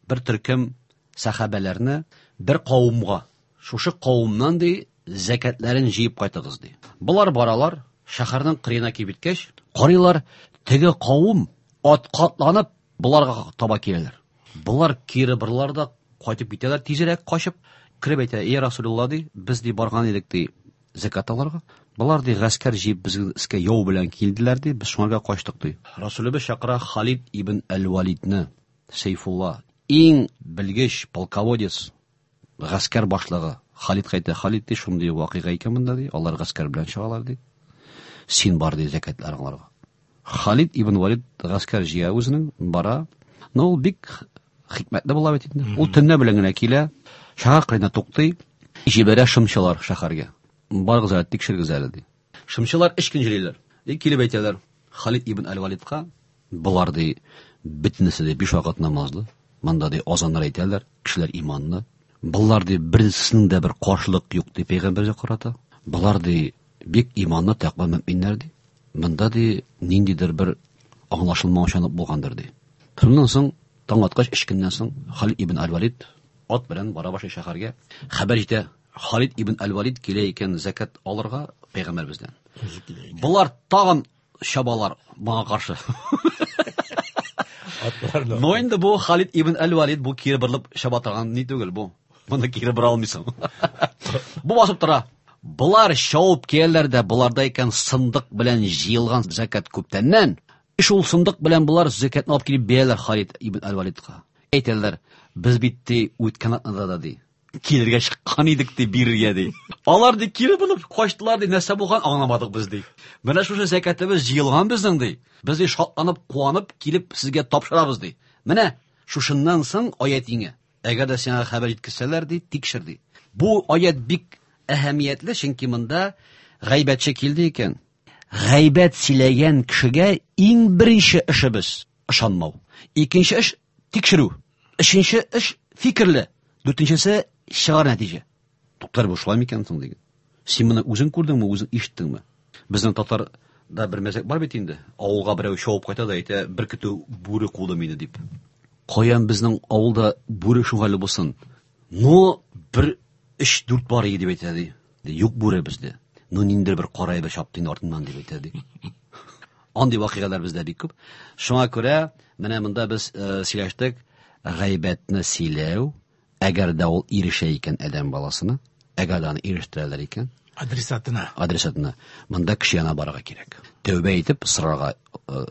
бер төркем сахабәләрне бер кавымга. Шушы кавымнан ди закатларын җыеп кайтыгыз ди. Булар баралар, шәһәрнең кырыена килеп җиткәч, карыйлар, теге кавым ат катланып буларга таба киләләр. Булар кире борылар да кайтып китәләр, тизрәк качып кереп әйтә: "Эй Расулулла ди, без ди барган идек ди закат алырга. Булар ди гаскәр җыеп безгә искә яу белән килделәр ди, без шуңарга качтык ди." Расулыбыз чакыра Халид ибн әл-Валидны, Сейфулла, иң белгеч полководец, гаскәр башлыгы. Халид кайтты. Халид ди, шундый вакыйга икән монда ди, алар гаскәр белән чыгалар ди. Син бар ди закатлар аларга. Халид ибн Валид гаскәр җыя үзенең, бара. Но ул бик хикмәтле була бит инде. Ул төнлә белән генә килә, шәһәр кырыена туктый, җибәрә шымчылар шәһәргә. Барыгыз әле, тикшергез әле ди. Шымчылар өч көн йөриләр. И килеп әйтәләр Халид ибн әл-Валидка, болар ди бөтенесе ди биш вакыт намазлы, монда ди азаннар әйтәләр, кешеләр иманлы. Болар ди берсенең дә бер каршылык юк ди пәйгамбәргә карата. Болар ди бик иманлы, тәкъва мөминнәр ди. Монда ди ниндидер бер аңлашылмаучанлык булгандыр ди. Шуннан соң таң аткач, өч көннән соң Халид ибн әл-Валид ат белән бара башлый шәһәргә. Хәбәр җитә, Халид ибн әл-Валид килә икән закат алырга пәйгамбәребездән. Болар тагын чабалар моңа каршы. Но инде бу Халид ибн әл-Валид бу кире борылып чаба торган ни түгел бу. Моны кире бора алмыйсың. Бу басып тора. Булар шауып киләләр дә, буларда икән сындык белән җыелган зәкят күптәннән. Шул сындык белән булар зәкятны алып килеп бирәләр Халид ибн әл-Валидка. Әйтәләр, без бит ди үткән атнада да ди килергә чыккан идек ди бирергә ди. Алар ди кире борылып качтылар ди, нәрсә булган аңламадык без ди. Менә шушы зәкятыбыз җыелган безнең ди. Без ди шатланып, куанып килеп сезгә тапшырабыз ди. Менә шушыннан соң аят иңә. Әгәр дә сиңа хәбәр җиткерсәләр ди, тикшер ди. Бу аят бик әһәмиятле, чөнки монда гайбәтче килде икән. Гайбәт сөйләгән кешегә иң беренче эшебез ышанмау. Икенче эш тикшерү. Өченче эш фикерле. Дүртенчесе чыгар нәтиҗә. Туктар, бу шулай микән соң диген. Син моны үзең күрдеңме, үзең ишеттеңме? Безнең татарда бер мәзәк бар бит инде. Авылга берәү шауып кайта да әйтә, бер көтү бүре куды мине дип. Каян безнең авылда бүре шугалы булсын? Но бер өч-дүрт бар иде дип әйтә ди. Юк бүре бездә. Но ниндидер бер кара әйбер чапты инде артыннан дип әйтә ди. Андый вакыйгалар бездә бик күп. Шуңа күрә менә монда без сөйләштек, гайбәтне сөйләү, әгәр дә ул ирешә икән адәм баласына, әгәр дә аны ирештерәләр икән, адресатына. Адресатына. Монда кеше янына барырга кирәк. Тәүбә итеп сорарга,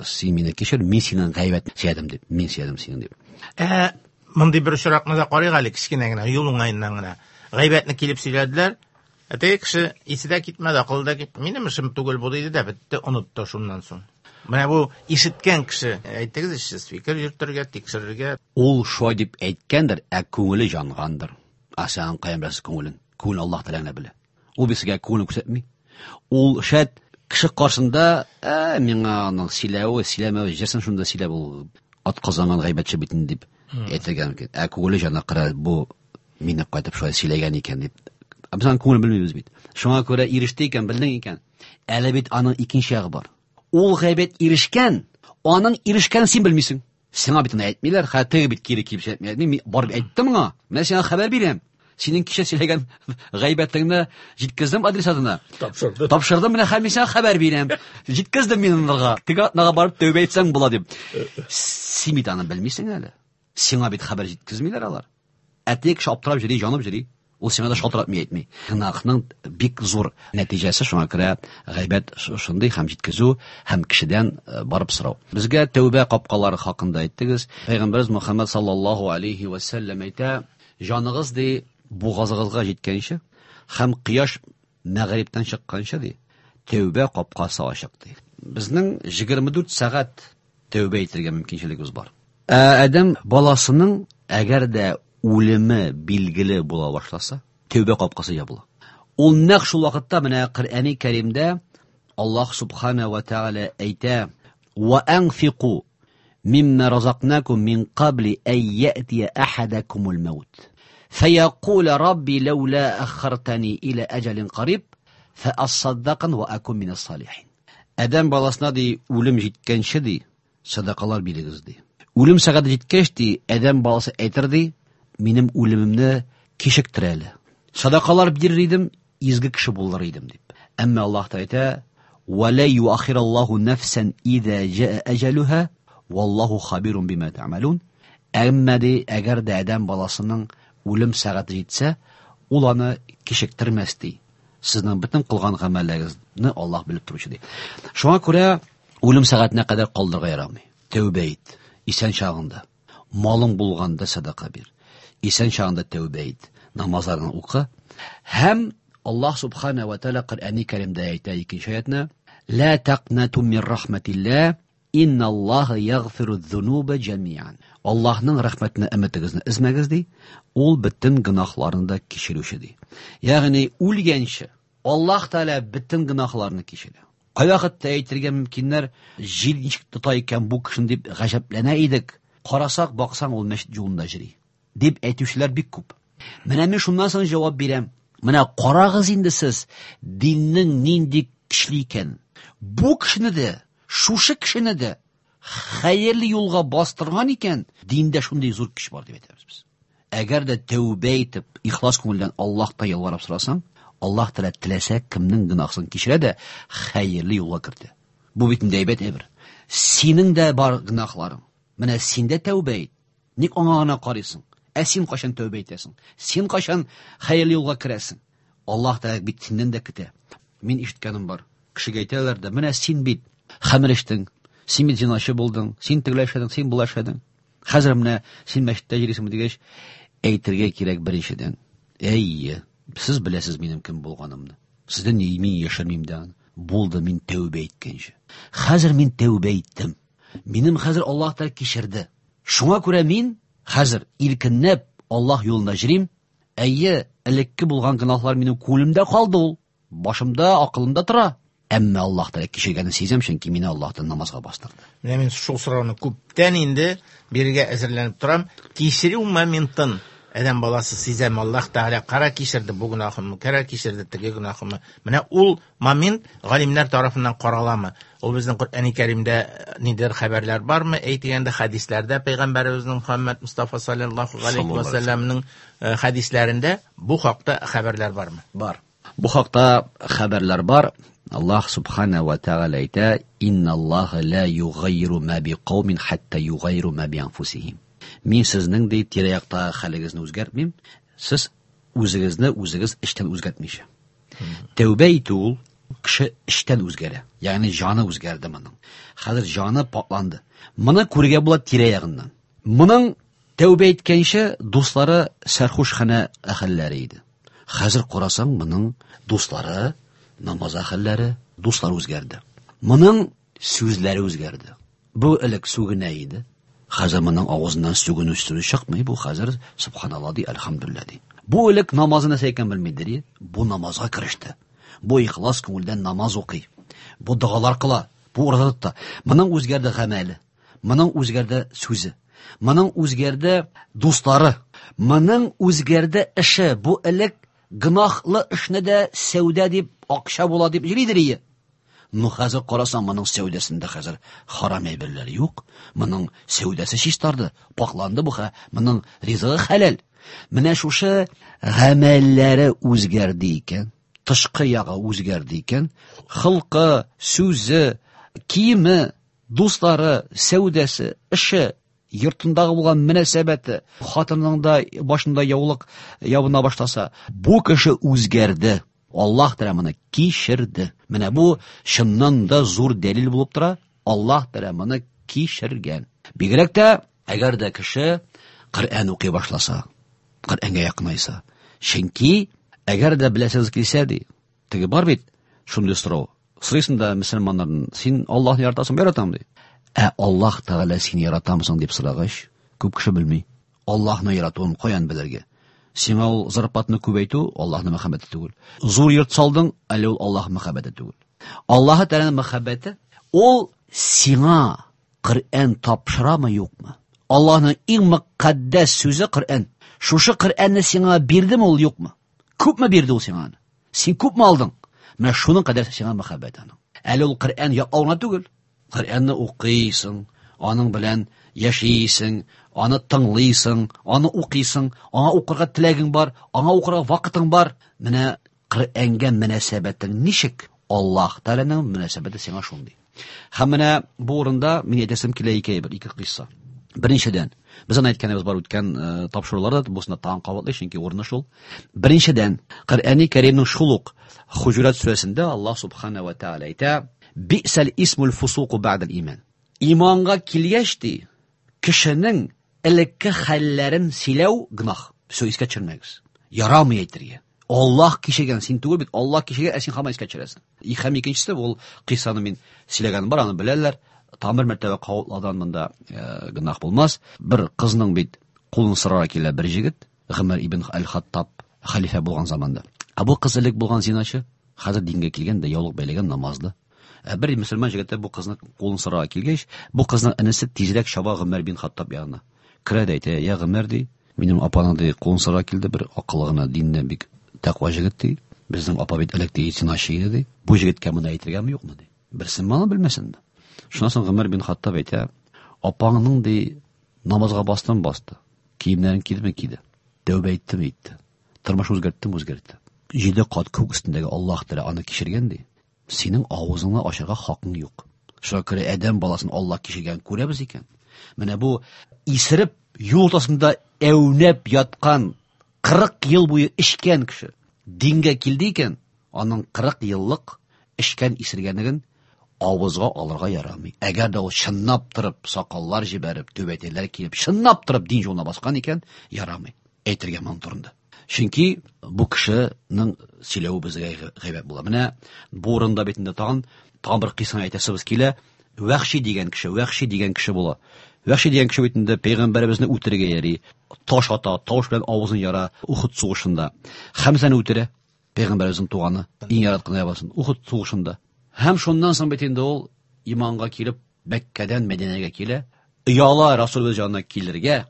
син мине кичер, мин синең гайбәт сөйләдем дип, мин сөйләдем синең дип. Ә мондый бер очракны да карыйк әле кечкенә генә, юл уңаеннан гына. Гайбәтне килеп сөйләделәр. Ә теге кеше исе дә китмәде, акылы да китмәде. Минем эшем түгел бу диде дә бетте, онытты шуннан соң. Менә бу ишеткән кеше, әйтегез, сез фикер йөртергә, тикшерергә. Ул шулай дип әйткәндер, ә күңеле янгандыр. Ә син каян беләсең күңелен? Күңел Аллаһ Тәгалә белә. Ул бит сезгә күңелен күрсәтми. Ул шәт кеше каршында, ә миңа аның сөйләве, сөйләмәве, җырсын шунда сөйләп ул ат казанган гайбәтче бит инде дип әйтергә мөмкин. Ә күңеле җана кыра, бу мине кайтып шулай сөйләгән икән дип. Ә без аның күңелен белмибез бит. Шуңа күрә иреште икән, белдең икән. Әле бит аның икенче ягы бар. Ул гайбәт ирешкән, аның ирешкәнен син белмисең. Сиңа бит аны әйтмиләр, хәтта бит кире килеп әйтми. Мин барып әйттем моңа. Менә сиңа хәбәр бирәм. Синең кичә сөйләгән гайбәтеңне җиткездем адресатына. Тапшырдым. Тапшырдым, менә хәзер мин сиңа хәбәр бирәм. Җиткездем мин анарга. Теге атнага барып тәүбә итсәң була дип. Син бит аны белмисең әле. Сиңа бит хәбәр җиткезмиләр алар. Ә теге кеше аптырап йөри, җанып йөри. Ул сиңа да шалтыратмый әйтми. Гөнаһның бик зур нәтиҗәсе, шуңа күрә гайбәт шундый һәм җиткезү һәм кешедән барып сорау. Безгә тәүбә капкалары хакында әйттегез. Пәйгамбәрбез Мөхәммәд саллаллаһу алейхи ва сәлләм әйтә, җаныгыз ди бугазыгызга җиткәнче һәм кояш мәгърибтән чыкканчы ди тәүбә капкасы ачык ди. Безнең егерме дүрт сәгать тәүбә итәргә мөмкинчелегебез бар. Ә адәм баласының әгәр дә үлеме билгеле була башласа, тәүбә капкасы ябыла. Ул нәкъ шул вакытта менә Коръәни Кәримдә Аллаһ субхана ва тааля әйтә: "Ва анфику мимма разакнакум мин кабли ай яти ахадакумул маут. Фаякул рабби лаула аххартани иля аҗалин кариб фаасаддакан ва акун минас салихин." Адәм баласына ди үлем җиткәнче ди садакалар бирегез ди. Үлем сәгате җиткәч ди адәм баласы әйтер ди, минем үлемемне кичектер әле. Садакалар бирер идем, изге кеше булыр идем дип. Әмма Аллаһ та әйтә: "Ва ла юахираллаһу нафсан иза жаа аҗалуха валлаһу хабирун бима та'малун." Әмма ди, әгәр дә адәм баласының үлем сәгате җитсә, ул аны кичектермәс ди. Сезнең бөтен кылган гамәлләрегезне Аллаһ белеп торучы ди. Шуңа күрә үлем сәгатенә кадәр калдырырга ярамый. Тәүбә ит. Исән чагында, малың булганда садака бир. Исән чагында тәүбә ит, намазларны укы. Һәм Аллаһ субхана ва тааля Коръәни Кәримдә әйтә икенче аятны: "Ла тaqнату мин рахматилла, инналлаһа ягъфиру зунуба җамиан." Аллаһның рәхмәтенә өметегезне өзмәгез ди, ул бөтен гөнаһларны да кичерүче ди. Ягъни үлгәнче Аллаһ Тааля бөтен гөнаһларны кичерә. Кайвакытта әйтергә мөмкиннәр, җил ничек тота икән бу кешене дип гаҗәпләнә идек. Карасак, баксаң, ул мәчет юлында йөри дип әйтүчеләр бик күп. Менә мин шуннан соң җавап бирәм. Менә карагыз инде сез, диннең нинди көчле икән. Бу кешене дә, шушы кешене дә хәерле юлга бастырган икән, диндә шундый зур көч бар дип әйтәбез без. Әгәр дә тәүбә итеп, ихлас күңелдән Аллаһка ялварып сорасаң, Аллаһ Тәгалә теләсә кемнең гөнаһын кичерә дә хәерле юлга кертә. Бу бит инде әйбәт әйбер. Синең дә бар гөнаһларың. Менә син дә тәүбә ит. Ник аңа гына карыйсың? Ә син кайчан тәүбә итәсең? Син кайчан хәерле юлга керәсең? Аллаһ Тәгалә бит синнән дә көтә. Мин ишеткәнем бар. Кешегә әйтәләр дә, менә син бит хәмер эчтең, син бит зиначы булдың, син тегеләй эшләдең, син болай эшләдең. Хәзер менә син мәчеттә йөрисеңме дигәч, әйтергә кирәк беренчедән. Әйе, сез беләсез минем кем булганымны. Сездән мин яшермим дә аны. Булды, мин тәүбә иткәнче. Хәзер мин тәүбә иттем. Минем хәзер Аллаһ Тәгалә кичерде. Шуңа күрә мин хәзер иркенләп Аллаһ юлында йөрим. Әйе, элекке булган гөнаһлар минем күңелемдә калды ул. Башымда, акылымда тора. Әмма Аллаһ Тәгалә кичергәнен сизәм, чөнки мине Аллаһтан намазга бастырды. Менә мин шул сорауны күптән инде бирергә әзерләнеп торам. Кичерү моментын адәм баласы сизәм, Аллаһ Тәгалә кара кичерде бу гөнаһымны, кара кичерде теге гөнаһымны. Менә ул момент галимнәр тарафыннан караламы? Ул безнең Коръәни Кәримдә ниндидер хәбәрләр бармы? Әйтгәндә хәдисләрдә Пәйгамбәребезнең Мөхәммәд Мустафа саллаллаһу галәйһи ва сәлләмнең хәдисләрендә бу хакта хәбәрләр бармы? Бар. Бу хакта хәбәрләр бар. Аллаһ субхана ва тааля әйтә: "Инналлаһа ла югайру ма биқаумин хатта югайру ма бианфусихим." Мин сезнең ди тирә-якта хәлегезне үзгәртмим, сез үзегезне үзегез эчтән үзгәртмичә. Тәүбә итү ул кеше эчтән үзгәрә, ягъни җаны үзгәрде моның. Хәзер җаны пакланды. Моны күрергә була тирә-ягыннан. Моның тәүбә иткәнче дуслары сәрхушханә әһелләре иде. Хәзер карасаң, моның дуслары намаз әһелләре, дуслар үзгәрде. Моның сүзләре үзгәрде. Бу элек сүгенә иде. Хәзер моның авызыннан сүгенү сүзе чыкмый. Бу хәзер субханалла ди, әлхәмдүлилләһ ди. Бу элек намазы нәрсә икән белмидер. Бу намазга кереште. Бу ихлас күңелдән намаз укый. Бу догалар кыла. Бу ураза тота. Моның үзгәрде гамәле. Моның үзгәрде сүзе. Моның үзгәрде дуслары. Моның үзгәрде эше. Бу элек гөнаһлы эшне дә сәүдә дип, акча була дип йөридер ие. Ну хәзер карасаң, моның сәүдәсендә хәзер харам әйберләр юк. Моның сәүдәсе чистарды, пакланды бу, моның ризыгы хәләл. Менә шушы гамәлләре үзгәрде икән, тышкы ягы үзгәрде икән, хылкы, сүзе, киеме, дуслары, сәүдәсе, эше, йортындагы булган мөнәсәбәте, хатынының да башында яулык ябына башласа, бу кеше үзгәрде. Аллаһ Тәгалә моны кичерде. Менә бу чыннан да зур дәлил булып тора. Аллаһ Тәгалә моны кичергән. Бигрәк тә әгәр дә кеше Коръән укый башласа, Коръәнгә якынайса. Чөнки әгәр дә беләсегез килсә ди, теге бар бит шундый сорау. Сорыйсың да мөселманнардан, син Аллаһны яратасыңмы, яратам ди. Ә Аллаһ Тәгалә сине яратамысың дип сорагач, күп кеше белми. Аллаһны яратуын каян белергә? Сиңа ул зарплатны күбәйтү Аллаһның мәхәббәте түгел. Зур йорт салдың, әле ул Аллаһ мәхәббәте түгел. Аллаһ Тәгаләнең мәхәббәте ул сиңа Коръән тапшырамы, юкмы? Аллаһның иң мөкаддәс сүзе Коръән. Шушы Коръәнне сиңа бирдеме ул, юкмы? Күпме бирде ул сиңа аны? Син күпме алдың? Менә шуның кадәр сиңа мәхәббәт аның. Әле ул Коръән ятлау гына түгел. Коръәнне укыйсың, аның белән яшисең, аны тыңлыйсың, аны укыйсың, аңа укырга теләгең бар, аңа укырга вакытың бар. Менә Коръәнгә мөнәсәбәтең ничек? Аллаһ Тәгаләнең мөнәсәбәте сиңа шундый. Һәм менә бу урында мин әйтәсем килә ике әйбер, ике кыйсса. Беренчедән, без аны әйткәнебез бар үткән тапшыруларда, бусында тагын кабатлый, чөнки урыны шул. Беренчедән, Коръәни Кәримнең шул ук Хуҗурат сүрәсендә Аллаһ субхана ва тааля әйтә: "Би'сәл исмул фусуку бa'дал иман." Иманга килгәч ди, кешенең элекке хәлләрен сөйләү гөнаһ. Всё, искә төшермәгез. Ярамый әйтергә. Аллаһ кичергән, син түгел бит, Аллаһ кичергән, ә син һаман искә төшерәсең. Һәм икенчесе, ул кыйссаны мин сөйләгәнем бар, аны беләләр. Там бер мәртәбә кабатладан монда гөнаһ булмас. Бер кызның бит кулын сорарга килә бер җегет, Гомәр ибн аль-Хаттаб хәлифә булган заманда. Ә бу кыз элек булган зиначы, хәзер дингә килгән дә яулык бәйләгән, намазлы. Ә бер мөселман җегете бу кызны кулын сорарга килгәч, бу кызның энесе тизрәк чаба Гомәр бин Хаттаб янына. Керә дә әйтә: "Я Гомәр, ди, минем апаның ди кулын сорарга килде, бер акыллы гына, динне бик тәкъва җегет ди. Безнең апа бит элек ди зиначы иде ди. Бу җегеткә моны әйтергәме, юкмы ди? Берсен моны белмәсен ди." Шуннан соң Гомәр бин Хаттаб әйтә: "Апаңның ди намазга бастым, басты. Киемнәрен кидеме, киде. Тәүбә иттеме, итте. Тормыш үзгәрттеме, үзгәртте. Җиде кат күк өстендәге Аллаһ Тәгалә аны кичергән ди. Синең авызыңны ачарга хакың юк. Шуңа күрә адәм баласын Аллаһ кичергән күрәбез икән. Менә бу исереп юл уртасында әүнәп яткан кырык ел буе эчкән кеше дингә килде икән, аның кырык еллык эчкән исергәнлеген авызга алырга ярамый. Әгәр дә ул чынлап торып сакаллар җибәреп, түбәтәйләр киеп, чынлап торып дин юлына баскан икән, ярамый әйтергә моның турында. Чөнки бу кешенең сөйләве безгә гайбәт була. Менә бу урында бит инде тагын тагын бер кыйссаны әйтәсебез килә. Вәхши дигән кеше, Вәхши дигән кеше була. Вәхши дигән кеше бит инде пәйгамбәребезне үтерергә йөри, таш ата, тавыш белән авызын яра Ухуд сугышында. Хәмзәне үтерә, пәйгамбәребезнең туганы, иң яраткан ябасын Ухуд сугышында. Һәм шуннан соң бит инде ул иманга килеп Мәккәдән Мәдинәгә килә. Ояла Расулыбыз янына килергә,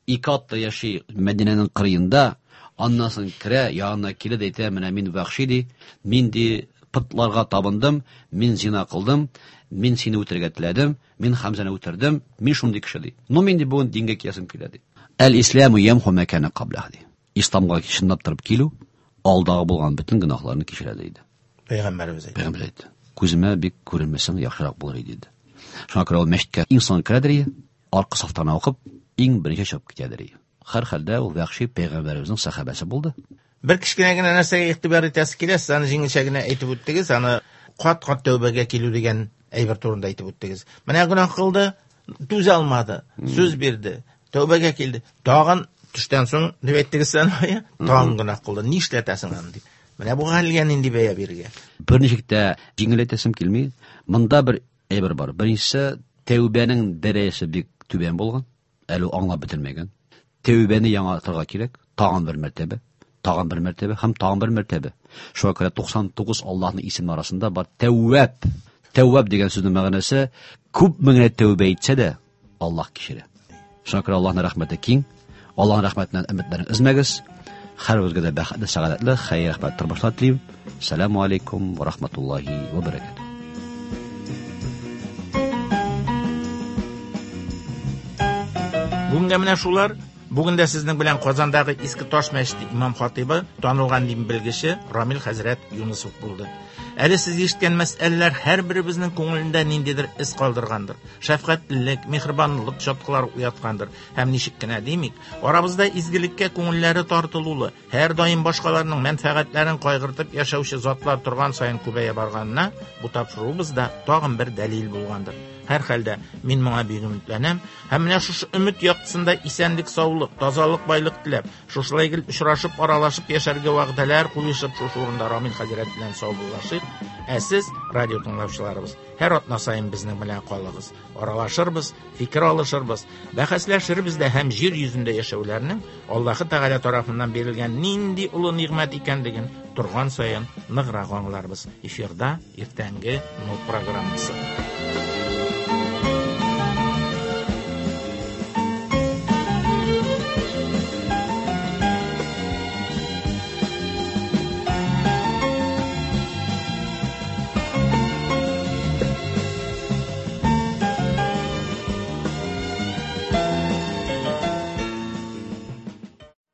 ике атта яши Мәдинәнең кырыенда, аннан соң керә, янына килә дә әйтә, менә мин Вәхши ди, мин ди пытларга табындым, мин зина кылдым, мин сине үтерергә теләдем, мин Хәмзәне үтердем, мин шундый кеше ди. Ну мин ди бүген дингә киләсем килә ди. Әл-исламу ямху ма кана каблах ди. Исламга чынлап торып килү алдагы булган бөтен гөнаһларны кичерә диде. Пәйгамбәребез әйтте. Пәйгамбәр әйтте. Күземә бик күренмәсәң яхшырак булыр иде диде. Шуңа күрә ул мәчеткә иң соң керәдер, аркы сафтан укып, иң беренче чыгып китәдер. Һәр хәлдә ул Вәхши пәйгамбәребезнең сәхабәсе булды. Бер кечкенә генә нәрсәгә игътибар итәсе килә, сез аны җиңелчә генә әйтеп үттегез, аны кат-кат тәүбәгә килү дигән әйбер турында әйтеп үттегез. Менә гөнаһ кылды, түзә алмады, сүз бирде, тәүбәгә килде. Тагын төштән соң дип әйттегез сез аны, тагын гөнаһ кылды. Нишләтәсең аны дип. Менә бу хәлгә нинди бәя бирергә? Берничек тә җиңеләйтәсем килми. Монда бер әйбер бар. Беренчесе, тәүбәнең дәрәҗәсе бик түбән булган, әле ул аңлап бетермәгән. Тәүбәне яңартырга кирәк, тагын бер мәртәбә, тагын бер мәртәбә һәм тагын бер мәртәбә. Шуңа күрә туксан тугыз Аллаһның исеме арасында бар Тәүвәб. Тәүвәб дигән сүзнең мәгънәсе күпме генә тәүбә итсә дә Аллаһ кичерә. Шуңа күрә Аллаһның рәхмәте киң. Аллаһның рәхмәтеннән өметләрен өзмәгез. Һәрберегезгә дә бәхетле, сәгадәтле, хәер, рәхмәт тормышлар телим. Ассаламу алейкум ва рахматуллахи ва баракатуһ. Бүгенгә менә шулар. Бүген дә сезнең белән Казандагы Иске Таш мәчете имам хатибы, танылган дин белгече Рамил хәзрәт Юнысов булды. Әле сез ишеткән мәсьәләләр һәрберебезнең күңелендә ниндидер эз калдыргандыр. Шәфкатьлелек, миһербанлылык чаткылары уяткандыр. Һәм ничек кенә димик, арабызда изгелеккә күңелләре тартылулы, һәр даим башкаларның мәнфәгатьләрен кайгыртып яшәүче затлар торган саен күбәя барганына бу тапшыруыбыз да тагын бер дәлил булгандыр. Һәр хәлдә мин моңа бик өметләнәм һәм менә шушы өмет яктысында исәнлек, саулык, тазалык, байлык теләп, шушылай гел очрашып, аралашып яшәргә вәгъдәләр куешып, шушы урында Рамил хәзрәт белән саубуллашыйк. Ә сез, радио тыңлаучыларыбыз, һәр атна саен безнең белән калыгыз. Аралашырбыз, фикер алышырбыз, бәхәсләшербез дә һәм җир йөзендә яшәүләрнең Аллаһы Тәгалә тарафыннан бирелгән нинди олы нигъмәт икәнлеген торган саен ныграк аңларбыз. Эфирда иртәнге Нур программасы.